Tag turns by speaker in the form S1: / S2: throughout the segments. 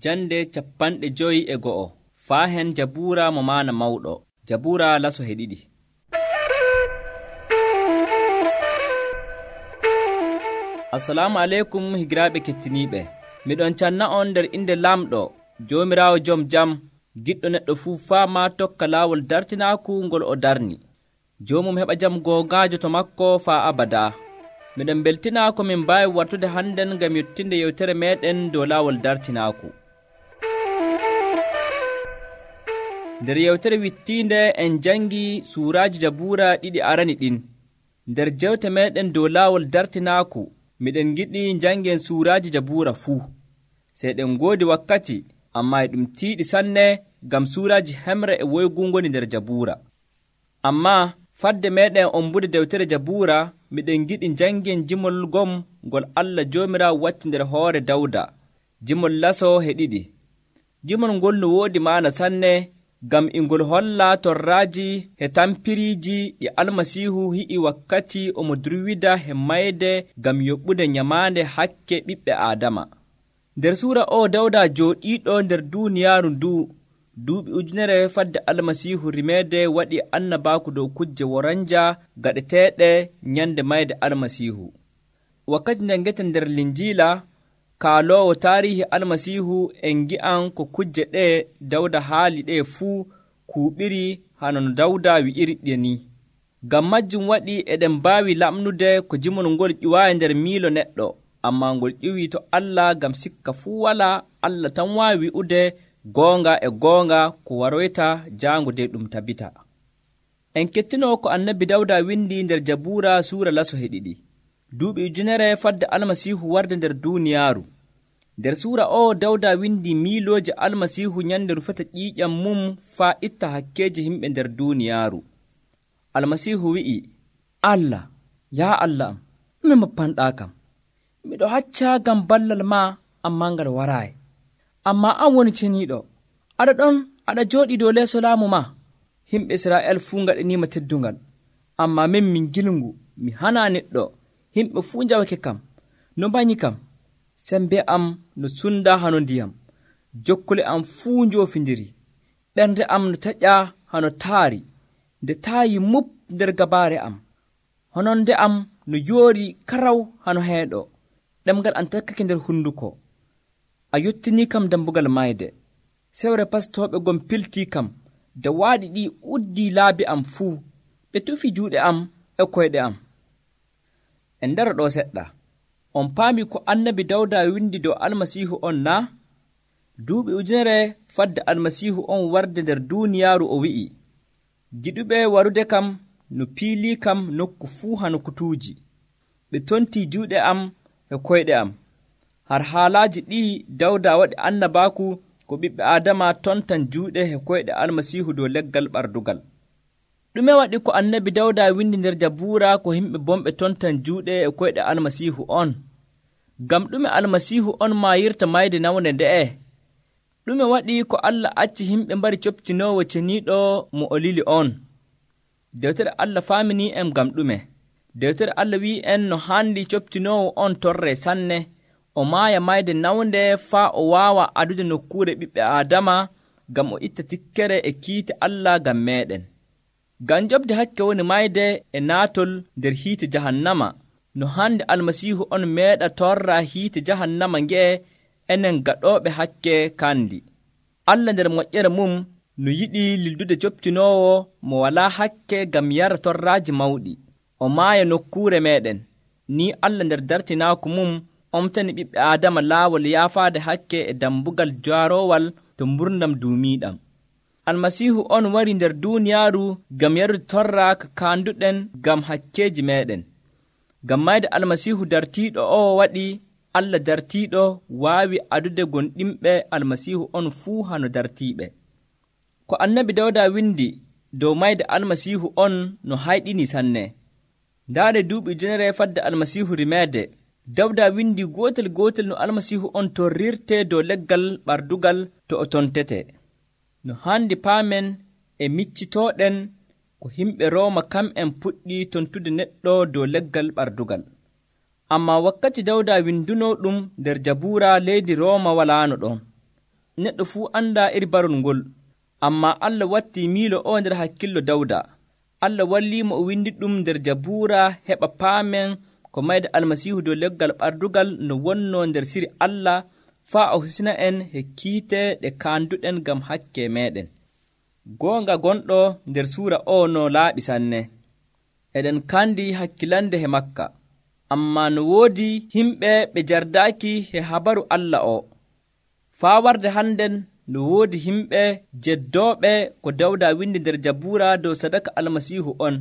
S1: Jande 51 Faahen Jabuura mo maana mawɗo. Jabuura laso he ɗiɗi. Assalamu aleykum higiraaɓe kettiniiɓe. Miɗon canna on nder inde Lamɗo, Joomiraawo jom jam, giɗɗo neɗɗo fuu faama tokka laawol dartinaaku ngol o darni. Joomum heɓa jam goongaajo to makko faa abadaa. Miɗen beltinaa ko min mbaawi wartude hannden ngam yettinde yewtere meeɗen dow laawol dartinaaku. Nder yewtere wittiinde en jangii suuraaji Jabuura ɗiɗi arani ɗin. Nder jewte meeɗen dow laawol dartinaaku, miɗen giɗi jangen suuraaji Jabuura fuu. Sey ɗen ngoodi wakkati, ammaa e ɗum tiiɗi sanne ngam suuraaji hemre e woygu ngoni nder Jabuura. Ammaa fadde meeɗen ombude dewtere Jabuura, miɗen giɗi jangen jimol gom ngol Allah Joomiraawo watti nder hoore Dawda, jimol laso he ɗiɗi. Jimol ngol no woodi maana sanne, ngam ingol holla torraaji he tampiriiji ɗi Almasiihu hi'i wakkati omo durwida he mayde ngam yoɓɓude nyamaande hakke ɓiɓɓe Aadama. Nder suura o Dawda jooɗiiɗo nder duuniyaaru nduu, duuɓi ujunere fadde Almasiihu rimeede waɗi annabaaku dow kujje woranja gaɗeteeɗe nyande mayde Almasiihu. Wakkati njangeten nder Linjiila, kaaloowo taarihi Almasiihu en gi'an ko kujje ɗe Dawda haali ɗe fuu kuuɓiri hano no Dawda wi'iri ɗe ni. Ngam majjum waɗi eɗen mbaawi lamnude ko jimol ngol ƴiwaayi nder miilo neɗɗo, ammaa ngol ƴiwii to Allah ngam sikka fuu walaa Allah tan waawi wi'ude goonga e goonga ko waroyta jaango de ɗum tabita. En kettinoo ko annabi Dawda windi nder Jabuura suura laso he ɗiɗi. Duuɓi ujunere fadde Almasiihu warde nder duuniyaaru. Nder suura o Dawda windi miilooje Almasiihu nyande rufata ƴiiƴam mum faa itta hakkeeje himɓe nder duuniyaaru. Almasiihu wi'i, Allah, yaa Allah am, ɗume moppanɗaa kam? Miɗo hacca ngam ballal maa, ammaa ngal waraayi. Ammaa an woni ceniiɗo, aɗa ɗon aɗa jooɗii dow leeso laamu maa. Himɓe Israa'el fuu ngaɗaniima teddungal, ammaa min gilngu, mi hanaa neɗɗo. Himɓe fuu njawake kam, no mbanyi kam. Sembe am no sunda hano ndiyam, jokkule am fuu njoofindiri. Ɓernde am no taƴa hano taari, nde taayi mup nder gabaare am. Hononde am no yoori karaw hano heeɗo, ɗemgal am takkake nder hunduko. A yottinii kam dambugal mayde, sewre pastooɓe gom piltii kam, da waaɗi ɗi uddii laabi am fuu, ɓe tufi juuɗe am e koyɗe am. En ndara ɗo seɗɗa. On paami ko annabi Dawda windi dow Almasiihu on na? Duuɓi ujunere fadde Almasiihu on warde nder duuniyaaru o wi'i, giɗuɓe warude kam no piilii kam nokku fuu hano kutuuji. Ɓe tontii juuɗe am e koyɗe am. Har haalaaji ɗii Dawda waɗi annabaaku ko ɓiɓɓe Aadama tontan juuɗe e koyɗe Almasiihu dow leggal ɓardugal. Ɗume waɗi ko annabi Dawda windi nder Jabuura ko yimɓe bomɓe tontan juuɗe e koyɗe Almasiihu on? Ngam ɗume Almasiihu on maayirta mayde nawne nde'e? Ɗume waɗi ko Allah acci yimɓe mbari coptinoowo ceniiɗo mo o lili on? Dewtere Allah faaminii en ngam ɗume? Dewtere Allah wi'en no haandi coptinoowo on torre sanne, o maaya mayde nawnde faa o waawa adude nokkuure ɓiɓɓe Aadama ngam o itta tikkere e kiite Allah ngam meeɗen. Ngam jobde hakke woni mayde e naatol nder hiite jahannama, no hande Almasiihu on meeɗa torra hiite jahannama nge'e enen gaɗooɓe hakke kandi. Allah nder moƴƴere mum no yiɗi lildude coptinoowo mo walaa hakke ngam yara torraaji mawɗi, o maaya nokkuure meeɗen. Ni Allah nder dartinaaku mum omtani ɓiɓɓe Aadama laawol yaafaade hakke e dambugal jaaroowal to mburnam duumiiɗam. Almasiihu on wari nder duuniyaaru ngam yarude torra ka kaanduɗen ngam hakkeeji meeɗen. Ngam mayde Almasiihu dartiiɗo o waɗi Allah dartiiɗo waawi adude gonɗinɓe Almasiihu on fuu hano dartiiɓe. Ko annabi Dawda windi dow mayde Almasiihu on no hayɗini sanne. Ndaare duuɓi ujunere fadde Almasiihu rimeede, Dawda windi gootel no Almasiihu on torrirte dow leggal ɓardugal to o tontete. No handi paamen e miccitooɗen ko himɓe Rooma kam'en puɗɗi tontude neɗɗo dow leggal ɓardugal. Ammaa wakkati Dawda winduno ɗum nder Jabuura leydi Rooma walaano ɗon. neɗɗo fuu anda iri barol ngol, ammaa Allah wattii miilo o nder hakkillo Dawda. Allah walliimo o windi ɗum nder Jabuura heɓa paamen ko mayde Almasiihu dow leggal ɓardugal no wonnoo nder siri Allah faa o hisna en he kiite ɗe kaanduɗen ngam hakke meeɗen. Goonga gonɗo nder suura o no laaɓi sanne. Eɗen kandi hakkilande he makka, ammaa no woodi himɓe ɓe jardaaki he habaru Allah o. Faa warde hannden no woodi himɓe jeddooɓe ko Dawda windi nder Jabuura dow sadaka Almasiihu on,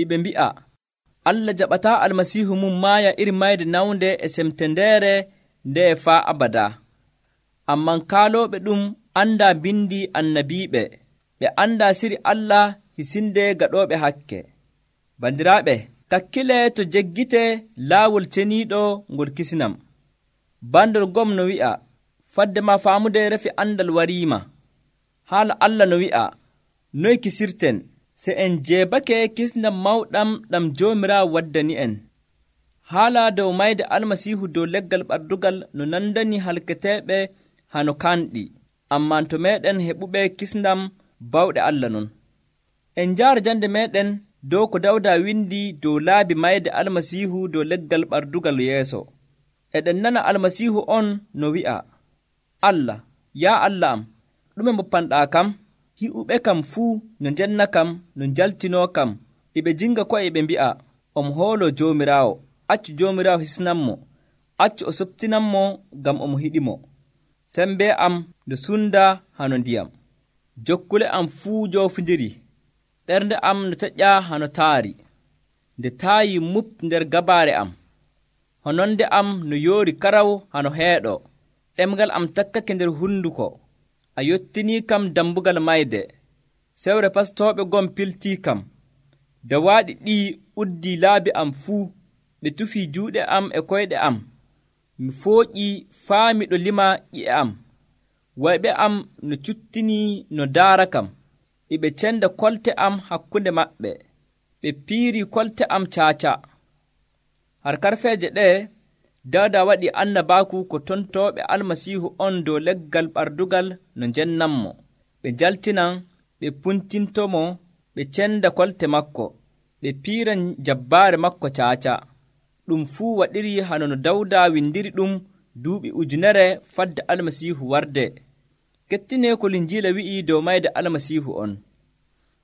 S1: iɓe mbi'a, Allah jaɓataa Almasiihu mum maaya iri mayde nawnde e semtendeere nde faa abada. Amman kaalooɓe ɗum andaa bindi annabiiɓe, ɓe andaa siri Allah hisinde gaɗooɓe hakke. Bandiraaɓe, kakkile to jeggite laawol ceniiɗo ngol kisinam. Bandol gom no wi'a, fadde ma faamude refi andal wariima. Haala Allah no wi'a, noy kisirten, se en jeebake kisnam mawɗam ɗam Joomiraawo waddani en. Haala dow mayde Almasiihu dow leggal ɓardugal no nandani halketeeɓe hano kanɗi, ammaa to meeɗen heɓuɓe kisndam bawɗe Allah non. En njaara jande meeɗen dow ko Dawda windi dow laabi mayde Almasiihu dow leggal ɓardugal yeeso. Eɗen nana Almasiihu on no wi'a, Allah, yaa Allah am, ɗume mboppanɗaa kam? Hi'uɓe kam fuu no njenna kam, no njaltinoo kam, eɓe jinga ko'e ɓe mbi'a, omo hooloo Joomiraawo, accu Joomiraawo hisnanmo, accu o soptinanmo ngam omo hiɗimo. Sembe am no sunda hano ndiyam, jokkule am fuu joofindiri, ɓernde am no teƴƴa hano taari, nde taayi mup nder gabaare am, hononde am no yoori karaw hano heeɗo, ɗemgal am takkake nder hunduko, a yottinii kam dambugal mayde, sewre pastooɓe gom piltii kam, dawaaɗi ɗii uddii laabi am fuu, ɓe tufii juuɗe am e koyɗe am, mi fooƴii faa miɗo lima ƴi'e am, wayɓe am no cuttinii no daara kam, eɓe cenda kolte am hakkunde maɓɓe, ɓe piirii kolte am caaca. Har karfeeje ɗee, Dawda waɗi annabaaku ko tontooɓe Almasiihu on dow leggal ɓardugal no njennanmo, ɓe njaltinan, ɓe puntintomo, ɓe cenda kolte makko, ɓe piiran jabbaare makko caaca. Ɗum fuu waɗiri hano no Dawda windiri ɗum duuɓi 100 fadde Almasiihu warde. Kettinee ko Linjiila wi'i dow mayde Almasiihu on.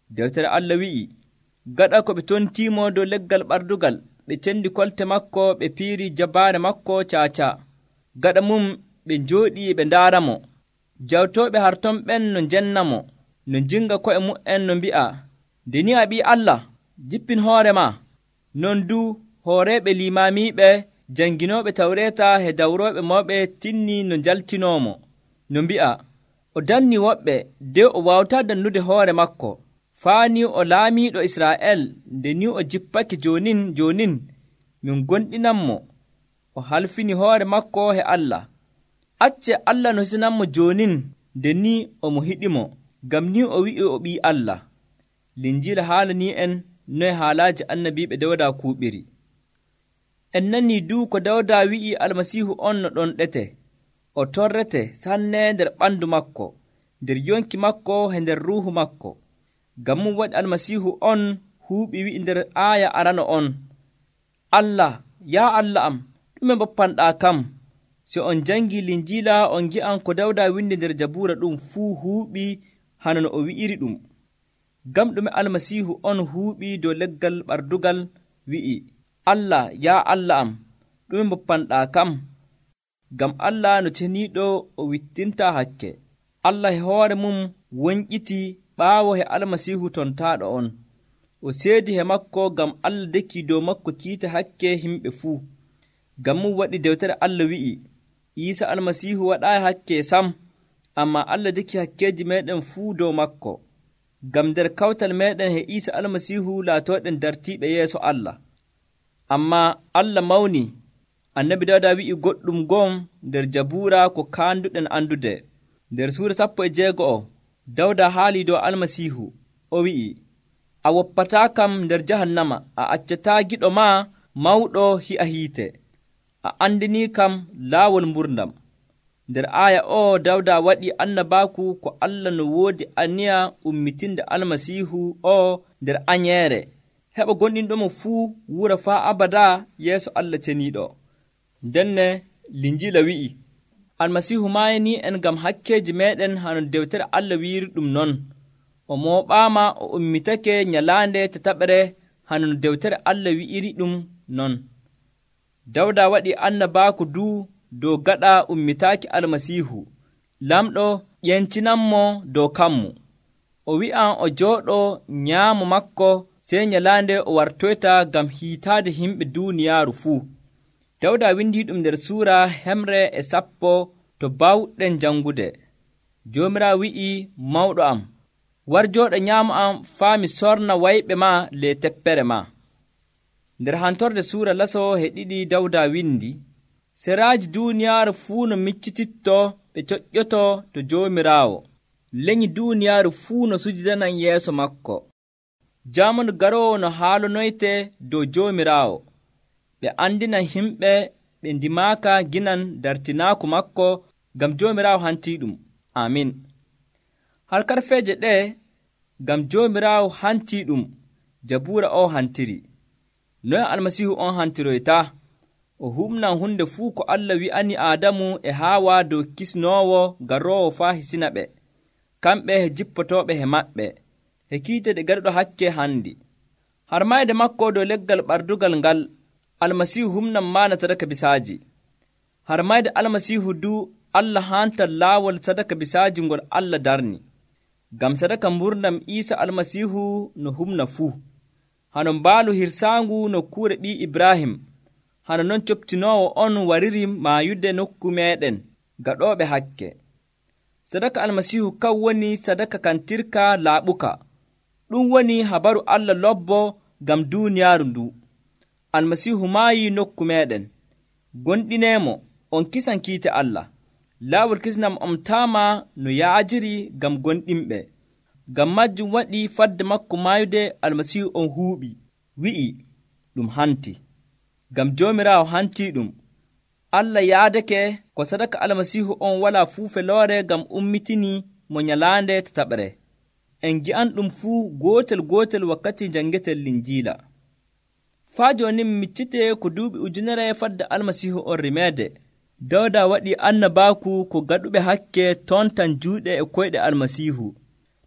S1: Dewtere Allah wi'i, gaɗa ko ɓe tontiimo dow leggal ɓardugal, ɓe cendi kolte makko, ɓe piiri jabbaare makko caaca. Gaɗa mum ɓe njooɗii ɓe ndaaramo. Jawtooɓe harton ɓen no njennamo, no jinga ko'e mu'en no mbi'a, nde ni a ɓii Allah, jippin hoore ma. Non du hooreeɓe limaamiiɓe, janginooɓe Tawreeta he dawrooɓe mawɓe tinnii no njaltinoomo, no mbi'a, o dannii woɓɓe de o waawataa dannude hoore makko, faanii o laamiiɗo Israa'el, nde ni o jippake joonin min gonɗinanmo, o halfini hoore makko he Allah. Acce Allah no hisinanmo joonin, nde ni omo hiɗimo, ngam ni o wi'i o ɓii Allah. Linjiila haalanii en noye haalaaji annabiiɓe Dawda kuuɓiri. En nanii du ko Dawda wi'i Almasiihu on no ɗon ɗete, o torrete sanne nder ɓandu makko, nder yonki makko he nder ruuhu makko. Ngam mum waɗi Almasiihu on huuɓi wi'i nder aaya arano on, Allah, yaa Allah am, ɗume mboppanɗaa kam? Si on jangii Linjiila on ngi'an ko Dawda windi nder Jabuura ɗum fuu huuɓi hano no o wi'iri ɗum. Ngam ɗume Almasiihu on huuɓi dow leggal ɓardugal wi'i, Allah, yaa Allah am, ɗume mboppanɗaa kam? Ngam Allah no ceniiɗo o wittintaa hakke. Allah he hoore mum wonƴitii ɓaawo he Almasiihu tontaaɗo on. O seedi he makko ngam Allah dekii dow makko kiita hakke himɓe fuu. Ngam mum waɗi dewtere Allah wi'i, Iisa Almasiihu waɗaayi hakke sam, ammaa Allah deki hakkeeji meeɗen fuu dow makko. Ngam nder kawtal meeɗen he Iisa Almasiihu laatooɗen dartiiɓe yeeso Allah. Ammaa Allah mawni, annabi Dawda wi'i goɗɗum gom nder Jabuura ko kaanduɗen andude. Nder suura 16 Dawda haalii dow Almasiihu, o wi'i, a woppataa kam nder jahannama, a accataa giɗo maa mawɗo hi'a hiite, a andinii kam laawol mburdam. Nder aaya o Dawda waɗi annabaaku ko Allah no woodi aniya ummitinde Almasiihu o nder anyeere, heɓa gonɗinɗomo fuu wura faa abada yeeso Allah ceniiɗo. Ndenne Linjiila wi'i, Almasiihu maayanii en ngam hakkeeji meeɗen hano dewtere Allah wiiri ɗum non. O mooɓaama o ummitake nyalaande tataɓere hano no dewtere Allah wi'iri ɗum non. Dawda waɗi annabaaku dow gaɗa ummitaaki Almasiihu. Lamɗo ƴencinanmo dow kammu. O wi'an o jooɗoo nyaamo makko sey nyalaande o wartoyta ngam hiitaade himɓe duuniyaaru fuu. Dawda windi ɗum nder suura 110 to bawɗen jangude. Joomiraawo wi'i, mawɗo am, war jooɗo nyaamo am faa mi sorna wayɓe maa ley teppere maa. Nder hantorde suura laso heɗiɗi Dawda windi, seraaji duuniyaaru fuu no miccititto ɓe coƴƴoto to Joomiraawo. Lenyi duuniyaaru fuu no sujudanan yeeso makko. Jaamanu garoowo no haalonoyte dow Joomiraawo. Ɓe andinan himɓe ɓe ndimaaka ginan dartinaaku makko ngam Joomiraawo hantiiɗum. Amin. Harkarfeeje ɗe ngam Joomiraawo hantiiɗum Jabuura o hantiri. Noye Almasiihu on hantiroyta? O humnan hunde fuu ko Allah wi'ani Aadamu e Haawa dow kisnoowo garoowo faa hisina ɓe, kamɓe he jippotooɓe he maɓɓe, he kiite ɗe gaɗuɗo hakke handi. Harmayde makko dow leggal ɓardugal ngal, Almasiihu humnan maana sadaka bisaaji. Harmayde Almasiihu Allah hantan laawol sadaka bisaaji ngol Allah darni. Ngam sadaka mburnam Iisa Almasiihu no humna fuu. Hano mbaalu hirsaangu nokkuure ɓii Ibrahim, hano non coptinoowo on wariri maayude nokku meeɗen gaɗooɓe hakke. Sadaka Almasiihu kan woni sadaka kantirka laaɓuka. Ɗum woni habaru Allah lobbo ngam duuniyaaru ndu. Almasiihu maayi nokku meeɗen. Gonɗineemo, on kisan kiite Allah. Laawol kisnam on taama no yaajiri ngam gonɗinɓe. Ngam majjum waɗi fadde makko maayude Almasiihu on huuɓi, wi'i ɗum hanti. Ngam Joomiraawo hantii ɗum. Allah yaadake ko sadaka Almasiihu on walaa fuu feloore ngam ummitini mo nyalaande tataɓre. En gi'an ɗum fuu gootel wakkati jangeten Linjiila. Faa jooni mi miccite ko duuɓi ujunere fadde Almasiihu on rimeede. Dawda waɗi annabaaku ko gaɗuɓe hakke tontan juuɗe e koyɗe Almasiihu.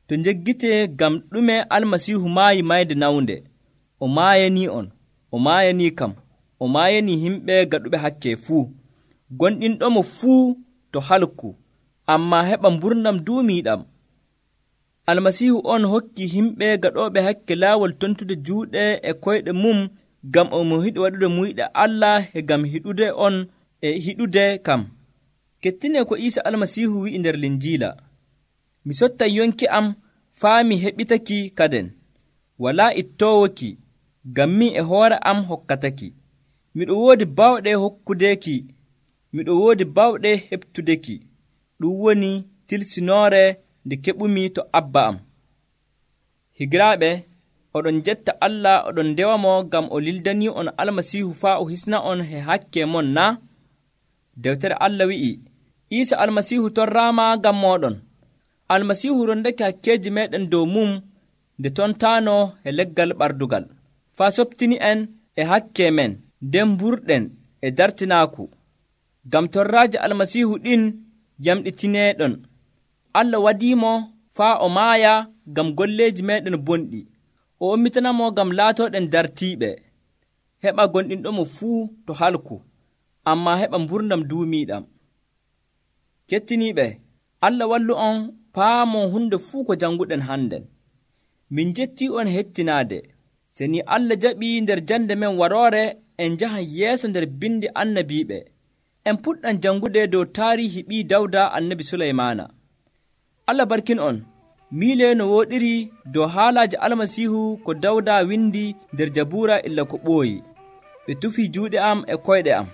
S1: To njeggite ngam ɗume Almasiihu maayi mayde nawnde. O maayanii on, o maayanii kam, o maayanii himɓe gaɗuɓe hakke fuu. Gonɗinɗomo fuu to halku, ammaa heɓa mburnam duumiiɗam. Almasiihu on hokki himɓe gaɗooɓe hakke laawol tontude juuɗe e koyɗe mum ngam omo hiɗi waɗude muyɗe Allah e ngam hiɗude on e hiɗude kam. Kettine ko Iisa Almasiihu wi'i nder Linjiila, mi sottan yonki am faa mi heɓitaki kaden. Walaa ittoowoki, ngam min e hoore am hokkataki. Miɗo woodi bawɗe hokkudeki, miɗo woodi bawɗe heɓtudeki. Ɗum woni tilsinoore nde keɓumi to Abba am. Higiraaɓe, oɗon jetta Allah oɗon ndewamo ngam o lildanii on Almasiihu faa o hisna on he hakke mon na? Dewtere Allah wi'i, Iisa Almasiihu torraama ngam mooɗon. Almasiihu rondake hakkeeji meeɗen dow mum nde tontaano he leggal ɓardugal, faa soɓtini en e hakke men, nden mburɗen e dartinaaku. Ngam torraaji Almasiihu ɗin yamɗitineeɗon. Allah wadiimo faa o maaya ngam golleeji meeɗen bonɗi. O ummitanamo ngam laatooɗen dartiiɓe. Heɓa gonɗinɗomo fuu to halku, ammaa heɓa mburnam duumiiɗam. Kettiniiɓe, Allah wallu on paamon hunde fuu ko janguɗen hannden. Min jettii on hettinaade. Se ni Allah jaɓii nder jande men waroore, en njahan yeeso nder bindi annabiiɓe. En puɗɗan jangude dow taarihi ɓii Dawda annabi Suleymaana. Allah barkin on. Miile no wooɗiri dow haalaaji Almasiihu ko Dawda windi nder Jabuura illa ko ɓooyi. Ɓe tufii juuɗe am e koyɗe am.